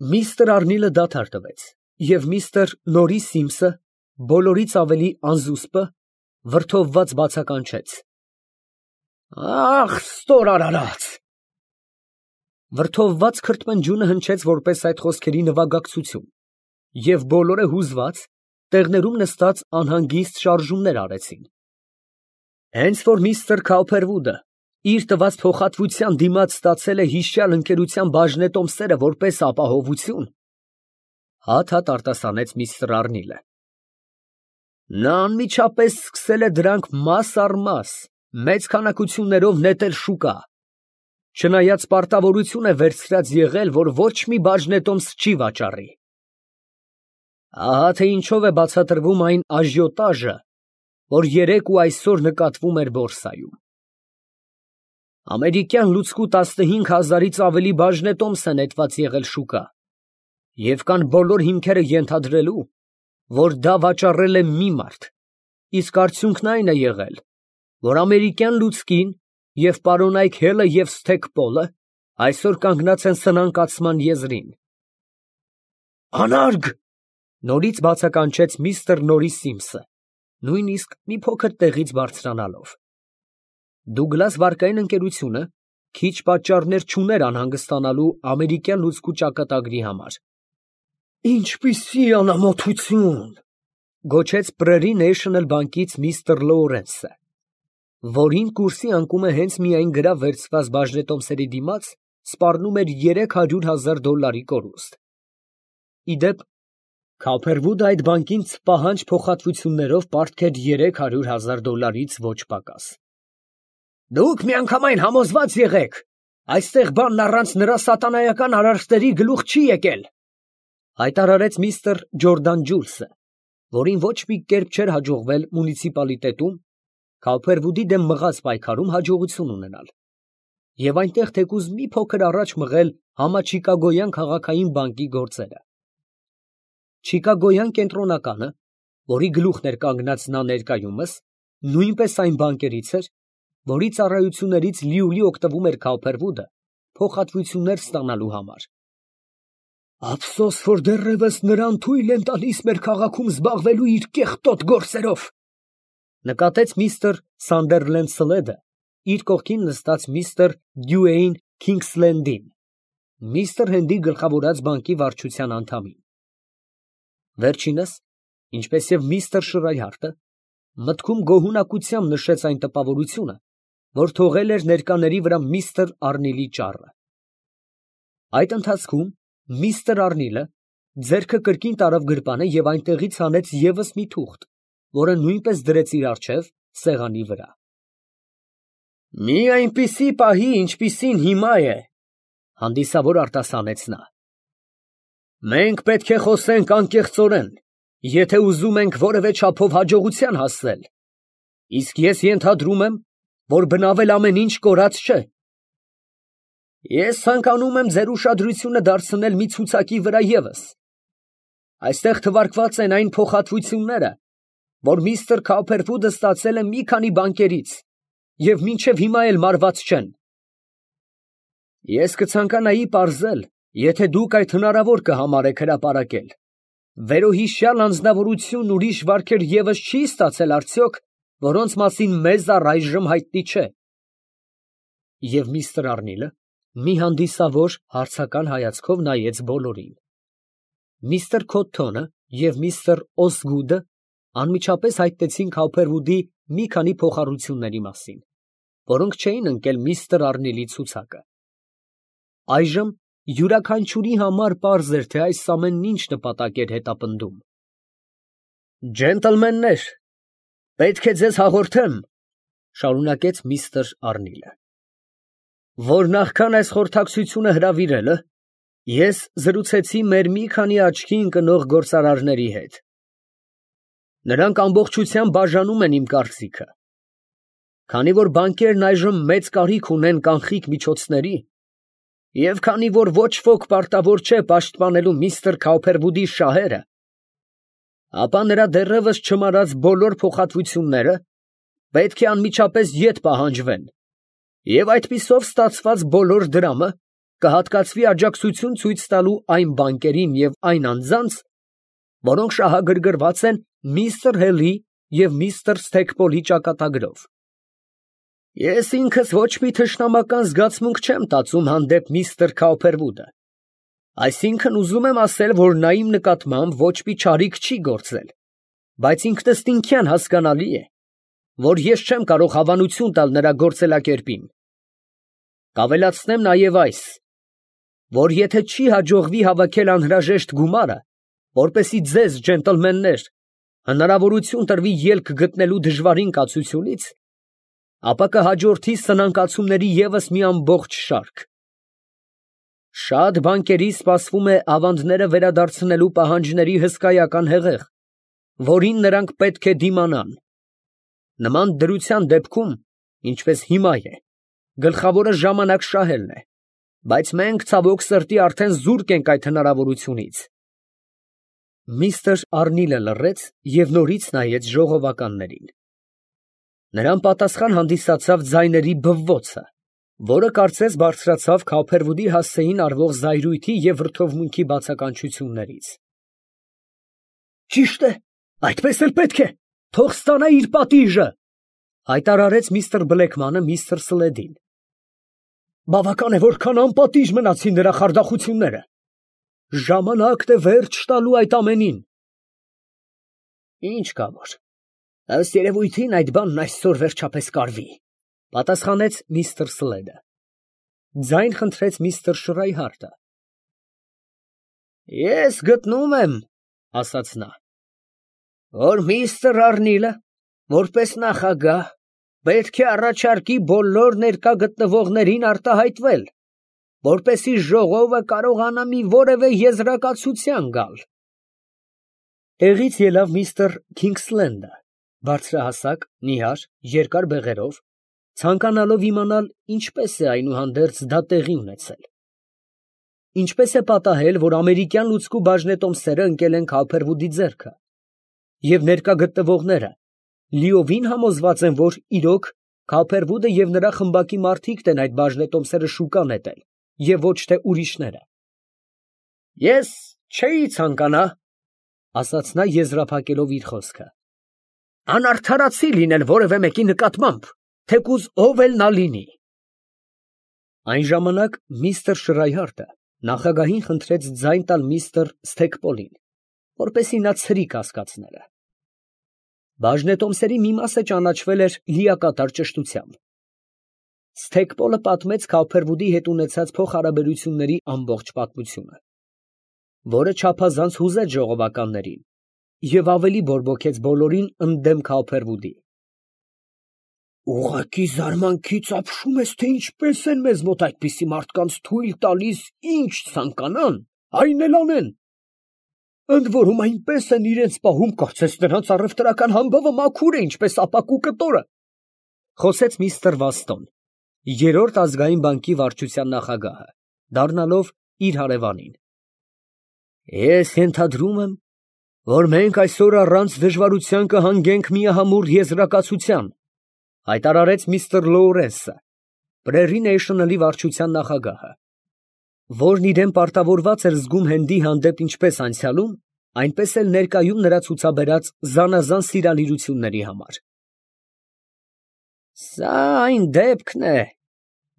Միստր Արնիլը դադար տվեց, և միստր Նորիս Սիմսը բոլորից ավելի անզուսպը վրդովված բացականչեց. «Ախ, ստոր արարած»։ Վրդովված քրթմնջյունը հնչեց որպես այդ խոսքերի նվագակցություն, և բոլորը հուզված, տեղներում նստած անհանգիստ շարժումներ արեցին։ Հենց որ միստր Քաուփերվուդը իր տված փոխհատվության դիմաց ստացել է հիշյալ ընկերության բաժնետոմսերը որպես ապահովություն, հատ արտասանեց միստր Արնիլը, նա անմիջապես սկսել է դրանք մաս առ մաս, մեծ քանակություններով նետել շուկա, չնայած պարտավորություն է վերցրած եղել, որ ոչ մի բաժնետոմս չի վաճառի։ Ահա թե ինչով է բացատրվում այն աժիոտաժը, որ երեկ ու այսօր նկատվում էր բորսայում։ Ամերիկյան լուծկու 15,000-ից ավելի բաժնետոմս է նետված եղել շուկա, և կան բոլոր հիմքերը ենթադրելու, որ դա վաճառել է մի մարդ, իսկ արդյունքն այն է եղել, որ ամերիկյան լուծկին և պարոնայք Հելը և Սթեգ Պոլը այսօր կանգնած են սնանկացման եզրին։ «Անարգ», նորից բացականչեց միստր Նորիս Սիմսը, նույնիսկ մի փոքր տեղից բարձրանալով։ Դուգլաս վարկային ընկերությունը քիչ պատճառներ չուներ անհանգստանալու ամերիկյան լուծկու ճակատագրի համար։ «Ինչպիսի անամոթություն», գոչեց Prairie National բանկից միստր Լոուրենսը, որին կուրսի անկումը հենց միայն գրավ վերցված բաժնետոմսերի դիմաց սպառնում էր $300,000 կորուստ։ Ի դեպ, Քափերվուդը այդ բանկին պահանջ փոխհատվություններով պարտք էր $300,000-ից ոչ պակաս։ «Դուք միանգամայն համոզված եղեք, այստեղ բանն առանց նրա սատանայական արարքների գլուխ չի եկել», հայտարարեց միստր Ջորդան Ջուլսը, որին ոչ մի կերպ չէր հաջողվել մունիցիպալիտետում Քափերվուդի դեմ մղած պայքարում հաջողություն ունենալ, և այնտեղ թեկուզ մի փոքր առաջ մղել համաչիկագոյան քաղաքային բանկի գործերը։ Չիկագոյան կենտրոնականը, որի գլուխն էր կանգնած նա ներկայումս, նույնպես այն բանկերից էր, որի ծառայություններից լիուլի օգտվում էր Քափերվուդը փոխհատվություններ ստանալու համար։ «Ափսոս, որ դեռևս նրան թույլ են տալիս մեր քաղաքում զբաղվելու իր կեղտոտ գործերով», նկատեց միստր Սանդերլենդ Սլեդը իր կողքին նստած միստր Դյուեյն Քինգսլենդին, միստր Հենդի գլխավորած բանկի վարչության անդամին։ Վերջինս, ինչպես և միստր Շրայհարտը, մտքում գոհունակությամբ նշեց այն տպավորությունը, որ թողել էր ներկաների վրա միստր Արնիլի ճառը։ Այդ ընթացքում միստր Արնիլը ձեռքը կրկին տարավ գրպանը և այնտեղից հանեց ևս մի թուղթ, որը նույնպես դրեց իր առջև սեղանի վրա։ «Մի այնպիսի պահի, ինչպիսին հիմա է, հանդիսավոր արտասանեց նա, մենք պետք է խոսենք անկեղծորեն, եթե ուզում ենք որևէ չափով հաջողության հասնել, իսկ ես ենթադրում եմ, որ բնավել ամեն ինչ կորած չէ։ Ես ցանկանում եմ ձեր ուշադրությունը դարձնել մի ցուցակի վրա ևս։ Այստեղ թվարկված են այն փոխհատվությունները, որ միստր Քափերվուդը ստացել է մի քանի բանկերից և մինչև հիմա էլ մարված չեն։ Ես կցանկանայի պարզել, եթե դուք այդ հնարավոր կհամարեք հրապարակել, վերոհիշյալ անձնավորությունն ուրիշ վարքեր ևս չի ստացել արդյոք, որոնց մասին մեզ առայժմ հայտնի չէ։ Եվ միստր Արնիլը մի հանդիսավոր հարցական հայացքով նայեց բոլորին։ Միստր Քոթթոնը և միստր Օսգուդը անմիջապես հայտնեցին Քափերվուդի մի քանի փոխառությունների մասին, որոնք չէին ընկել միստր Արնիլի ցուցակը։ Այժմ յուրաքանչյուրի համար պարզ էր, թե այս ամենն ինչ նպատակ էր հետապնդում։ «Ջենտլմեններ, պետք է ձեզ հաղորդեմ, ֊ շարունակեց միստր Արնիլը, ֊ որ նախքան այս խորհրդակցությունը հրավիրելը, ես զրուցեցի մեր մի քանի աչքի ընկնող գործարարների հետ։ Նրանք ամբողջությամբ բաժանում են իմ կարծիքը։ Քանի որ բանկերն այժմ մեծ կարիք ունեն կանխիկ միջոցների, և քանի որ ոչ ոք պարտավոր չէ պաշտպանելու միստր Քափերվուդի շահերը, ապա նրա դեռևս չմարած բոլոր փոխհատվությունները պետք է անմիջապես ետ պահանջվեն, և այդպիսով ստացված բոլոր դրամը կհատկացվի աջակցություն ցույց տալու այն բանկերին և այն անձանց, որոնք շահագրգռված են միստր Հելի և միստր Սթեքպոլի ճակատագրով։ Ես ինքս ոչ մի թշնամական զգացմունք չեմ տածում հանդեպ միստր Քաուփերվուդը, այսինքն ուզում եմ ասել, որ նա իմ նկատմամբ ոչ մի չարիք չի գործել, բայց ինքնըստինքյան հասկանալի է, որ ես չեմ կարող հավանություն տալ նրա գործելակերպին։ Կավելացնեմ նաև այս, որ եթե չի հաջողվի հավաքել անհրաժեշտ գումարը, որպեսզի ձեզ, ջենտլմեններ, հնարավորություն տրվի ելք գտնելու դժվարին կացությունից, ապա կհաջորդի սնանկացումների ևս մի ամբողջ շարք։ Շատ բանկերի սպասվում է ավանդները վերադարձնելու պահանջների հսկայական հեղեղ, որին նրանք պետք է դիմանան։ Նման դրության դեպքում, ինչպես հիմա է, գլխավորը ժամանակ շահելն է, բայց մենք ցավոք սրտի արդեն զուրկ ենք այդ հնարավորությունից։ Միստր Արնիլը լռեց և նորից նայեց ժողովականներին։ Նրան պատասխան հանդիսացավ ձայների բվվոցը, որը կարծես բարձրացավ Քաուփերվուդի հասցեին արվող զայրույթի և վրդովմունքի բացականչություններից։ Ճիշտ է, այդպես էլ պետք է, թող ստանա իր պատիժը, հայտարարեց միստր Բլեքմանը միստր Սլեդին։ Բավական է, որքան անպատիժ մնացին նրա խարդախությունները։ Ժամանակն է վերջ տալու այդ ամենին։ Ինչ կա որ, ըստ երևույթին այդ բանն այսօր վերջապես կարվի, պատասխանեց միստր Սլեդը։ Ձայն խնդրեց միստր Շրայհարտը։ Ես գտնում եմ, ասաց նա, որ միստր Արնիլը, որպես նախագահ, պետք է առաջարկի բոլոր ներկա գտնվողներին արտահայտվել, որպեսզի ժողովը կարողանա մի որևէ եզրակացության գալ։ Տեղից ելավ միստր Քինգսլենդը, բարձրահասակ, նիհար, երկար բեղերով, ցանկանալով իմանալ, ինչպես է այնուհանդերձ դա տեղի ունեցել։ Ինչպես է պատահել, որ ամերիկյան լուցկու բաժնետոմսերը ընկել են Քաուփերվուդի ձեռքը, և ներկա գտնվողները լիովին համոզված են, որ իրոք Քաուփերվուդը և նրա խմբակի մարդիկն են այդ բաժնետոմսերը շուկա նետել, և ոչ թե ուրիշները։ Ես չէի ցանկանա, ասաց նա եզրափակելով իր խոսքը, անարդարացի լինել որևէ մեկի նկատմամբ, թեկուզ ով էլ նա լինի։ Այն ժամանակ միստր Շրայհարտը նախագահին խնդրեց ձայն տալ միստր Սթեքպոլին, որպեսզի նա ցրի կասկածները։ Բաժնետոմսերի մի մասը ճանաչվել էր լիակատար ճշտությամբ։ Սթեքպոլը պատմեց Քաուփերվուդի հետ ունեցած փոխհարաբերությունների ամբողջ պատմությունը, որը չափազանց հուզեց ժողովականներին և ավելի բորբոքեց բոլորին ընդդեմ Քաուփերվուդի։ Ուղղակի զարմանքից ապշում ես, թե ինչպես են մեզ մոտ այդպիսի մարդկանց թույլ տալիս ինչ ցանկանան, այն էլ անեն։ Ընդ որում այնպես են իրենց պահում, կարծես նրանց առևտրական համբավը մաքուր է, ինչպես ապակու կտորը, խոսեց միստր Վաստոն, երրորդ ազգային բանկի վարչության նախագահը, դառնալով իր հարևանին։ Ես ենթադրում եմ, որ մենք այսօր առանց դժվարության կհանգենք միահամուռ եզրակացության, հայտարարեց միստր Լոուրենսը, Prairie National-ի վարչության նախագահը, որն իրեն պարտավորված էր զգում Հենդի հանդեպ ինչպես անցյալում, այնպես էլ ներկայում նրա ցուցաբերած զանազան սիրալիրությունների համար։ Սա այն դեպքն է,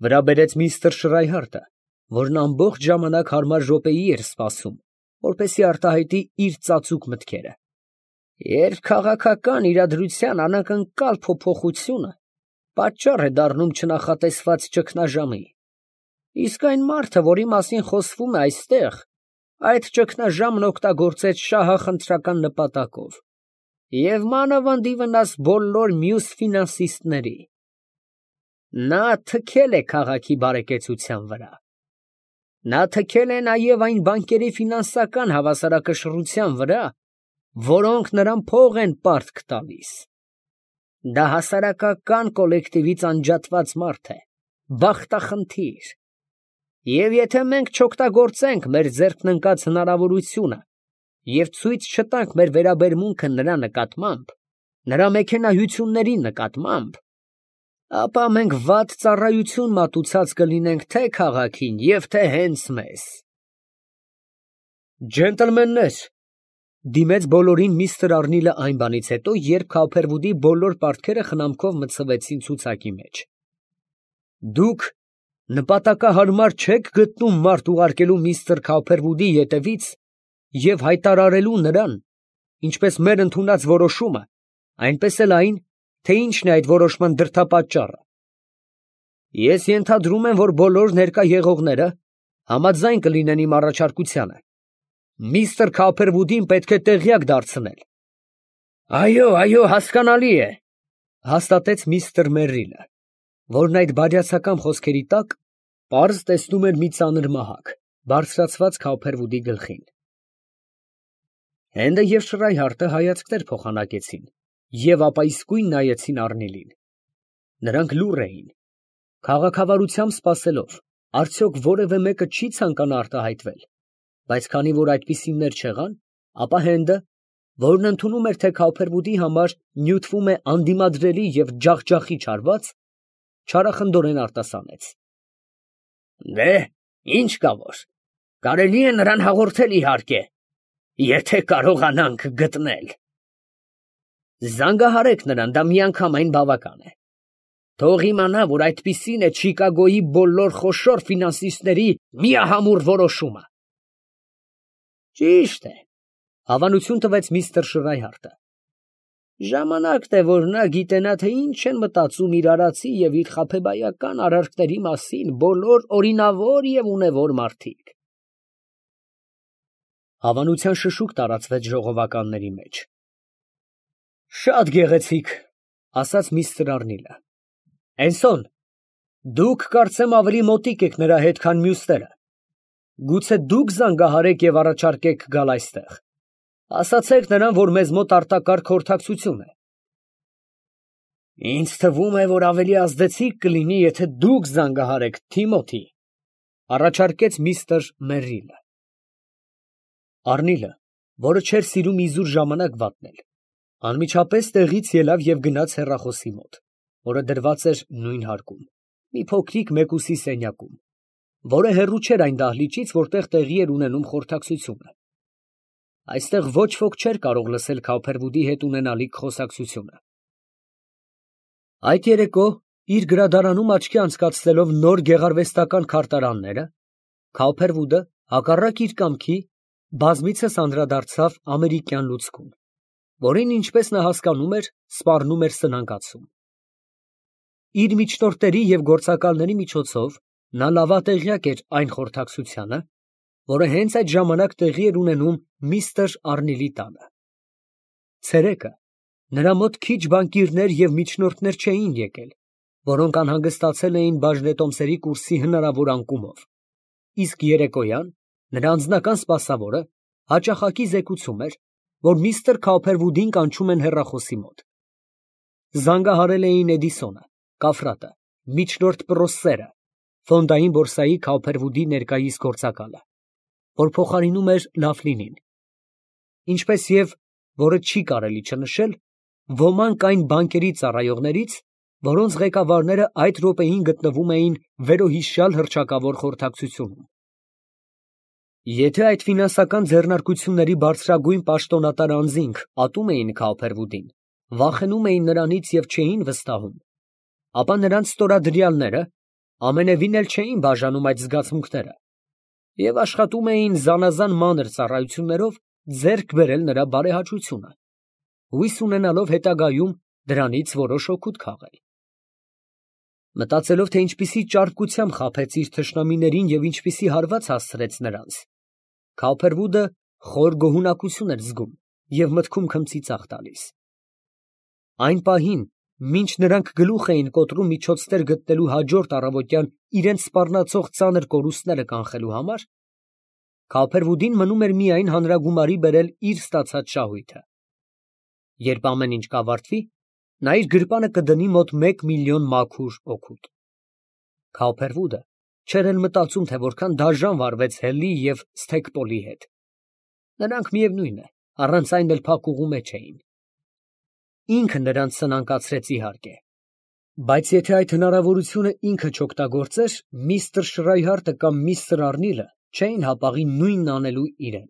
վրա բերեց միստր Շրայհարտը, որն ամբողջ ժամանակ հարմար րոպեի էր սպասում, որպեսզի արտահայտի իր ծածուկ մտքերը, երբ քաղաքական իրադրության անակնկալ փոփոխությունը պատճառ է դառնում չնախատեսված ճգնաժամի, իսկ այն մարդը, որի մասին խոսվում է այստեղ, այդ ճգնաժամն օգտագործեց շահախնդրական նպատակով և մանավանդ ի վնաս բոլոր մյուս ֆինանսիստների։ Նա թքել է քաղաքի բարեկեցության վրա։ Նա թքել է նաև այն բանկերի ֆինանսական հավասարակշռության վրա, որոնք նրան փող են պարտք տալիս։ Դա հասարակական կոլեկտիվից անջատված մարդ է, բախտախնդիր։ Եվ եթե մենք չօգտագործենք մեր ձեռքն ընկած հնարավորությունը և ցույց չտանք մեր վերաբերմունքը նրա նկատմամբ, նրա մեքենայությունների նկատմամբ, ապա մենք վատ ծառայություն մատուցած կլինենք թե քաղաքին և թե հենց մեզ։ Ջենտլմեններ, դիմեց բոլորին միստր Արնիլը այն բանից հետո, երբ Քոփերվուդի բոլոր պարտքերը խնամքով մտցվեցին ցուցակի մեջ։ Դուք նպատակահարմար չեք գտնում մարդ ուղարկելու միստր Քոփերվուդի ետևից և հայտարարելու նրան, ինչպես մեր ընդունած որոշումը, այնպես էլ այն, թե ինչն է այդ որոշման դրդապատճառը։ Ես ենթադրում եմ, որ բոլոր ներկա եղողները համաձայն կլինեն իմ առաջարկությանը։ Միստր Քոփերվուդին պետք է տեղյակ դարձնել։ Այո, հասկանալի է, հաստատեց միստր Մերրիլը, որն այդ բարյացակամ խոսքերի տակ պարզ տեսնում էր մի ծանր մահակ, բարձրացված Քոփերվուդի գլխին։ Հենդը և Շրայհարտը հայացքներ փոխանակեցին և ապա իսկույն նայեցին Արնիլին։ Նրանք լուռ էին, քաղաքավարությամբ սպասելով, արդյոք որևէ մեկը չի ցանկանա արտահայտվել, բայց քանի որ այդպիսիներ չեղան, ապա Հենդը, որն ընդունում էր, թե Քոփերվուդի համար նյութվում է անդիմադրելի և ջախջախիչ հարված, չարախնդորեն արտասանեց. Ինչ կա որ, կարելի է նրան հաղորդել իհարկե, եթե կարողանանք գտնել։ Զանգահարեք նրան, դա միանգամայն բավական է։ Թող իմանա, որ այդպիսին է Չիկագոյի բոլոր խոշոր ֆինանսիստների միահամուռ որոշումը։ Ճիշտ է, հավանություն տվեց միստր Շրայհարտը։ Ժամանակն է, որ նա գիտենա, թե ինչ են մտածում իր արածի և իր խաբեբայական արարքների մասին բոլոր օրինավոր և ունևոր մարդիկ։ Հավանության շշուկ տարածվեց ժողովականների մեջ։ Շատ գեղեցիկ, ասաց միստր Արնիլը։ Էնսոն, դուք կարծեմ ավելի մոտիկ եք նրա հետ, քան մյուսները։ Գուցե դուք զանգահարեք և առաջարկեք գալ այստեղ։ Ասացեք նրան, որ մեզ մոտ արտակարգ խորհրդակցություն է։ Ինձ թվում է, որ ավելի ազդեցիկ կլինի, եթե դուք զանգահարեք Թիմոթի, առաջարկեց միստր Մերրիլը։ Արնիլը, որը չէր սիրում իզուր ժամանակ վատնել, անմիջապես տեղից ելավ և գնաց հեռախոսի մոտ, որը դրված էր նույն հարկում, մի փոքրիկ մեկուսի սենյակում, որը հեռու չէր այն դահլիճից, որտեղ տեղի էր ունենում խորհրդակցությունը։ Այստեղ ոչ ոք չէր կարող լսել Քոփերվուդի հետ ունենալիք խոսակցությունը։ Այդ երեկո, իր գրադարանում աչքի անցկացնելով նոր գեղարվեստական քարտարանները, Քոփերվուդը, հակառակ իր կամքի, բազմիցս անդրադարձավ ամերիկյան լուցկուն, որին, ինչպես նա հասկանում էր, սպառնում էր սնանկացում։ Իր միջնորդների և գործակալների միջոցով նա լավատեղյակ էր այն խորհրդակցությանը, որը հենց այդ ժամանակ տեղի էր ունենում միստր Արնիլի տանը։ Ցերեկը նրա մոտ քիչ բանկիրներ և միջնորդներ չէին եկել, որոնք անհանգստացել էին բաժնետոմսերի կուրսի հնարավոր անկումով, իսկ երեկոյան նրա անձնական սպասավորը հաճախակի զեկուցում էր, որ միստր Քոփերվուդին կանչում են հեռախոսի մոտ։ Զանգահարել էին Էդիսոնը, Կաֆրատը, միջնորդ Պռոսսերը, ֆոնդային բորսայի Քոփերվուդի ներկայիս գործակալը, որ փոխարինում էր Լաֆլինին, ինչպես և, որը չի կարելի չնշել, ոմանք այն բանկերի ծառայողներից, որոնց ղեկավարները այդ րոպեին գտնվում էին վերոհիշյալ հռչակավոր խորհրդակցությունում։ Եթե այդ ֆինանսական ձեռնարկությունների բարձրագույն պաշտոնատար անձինք ատում էին Քոփերվուդին, վախենում էին նրանից և չէին վստահում, ապա նրանց ստորադրյալները ամենևին էլ չէին բաժանում այդ զգացմունքները և աշխատում էին զանազան մանր ծառայություններով ձեռք բերել նրա բարեհաճությունը, հույս ունենալով հետագայում դրանից որոշ օգուտ քաղել։ Մտածելով, թե ինչպիսի ճարպկությամբ խաբեց իր թշնամիներին և ինչպիսի հարված հասցրեց նրանց, Քոփերվուդը խոր գոհունակություն էր զգում և մտքում քմծիծաղ տալիս։ Այն պահին, մինչ նրանք գլուխ էին կոտրում միջոցներ գտնելու հաջորդ առավոտյան իրենց սպառնացող ծանր կորուստները կանխելու համար, Քոփերվուդին մնում էր միայն հանրագումարի բերել իր ստացած շահույթը։ Երբ ամեն ինչ կավարտվի, նա իր գրպանը կդնի մոտ 1 միլիոն մաքուր օգուտ։ Քոփերվուդը չէր էլ մտածում, թե որքան դաժան վարվեց Հելի և Սթեքպոլի հետ։ Նրանք, միևնույն է, առանց այն էլ փակուղու մեջ էին։ Ինքը նրանց սնանկացրեց իհարկե, Բայց եթե այդ հնարավորությունը ինքը չօգտագործեր, միստր Շրայհարտը կամ միստր Արնիլը չէին հապաղի նույնն անելու իրան։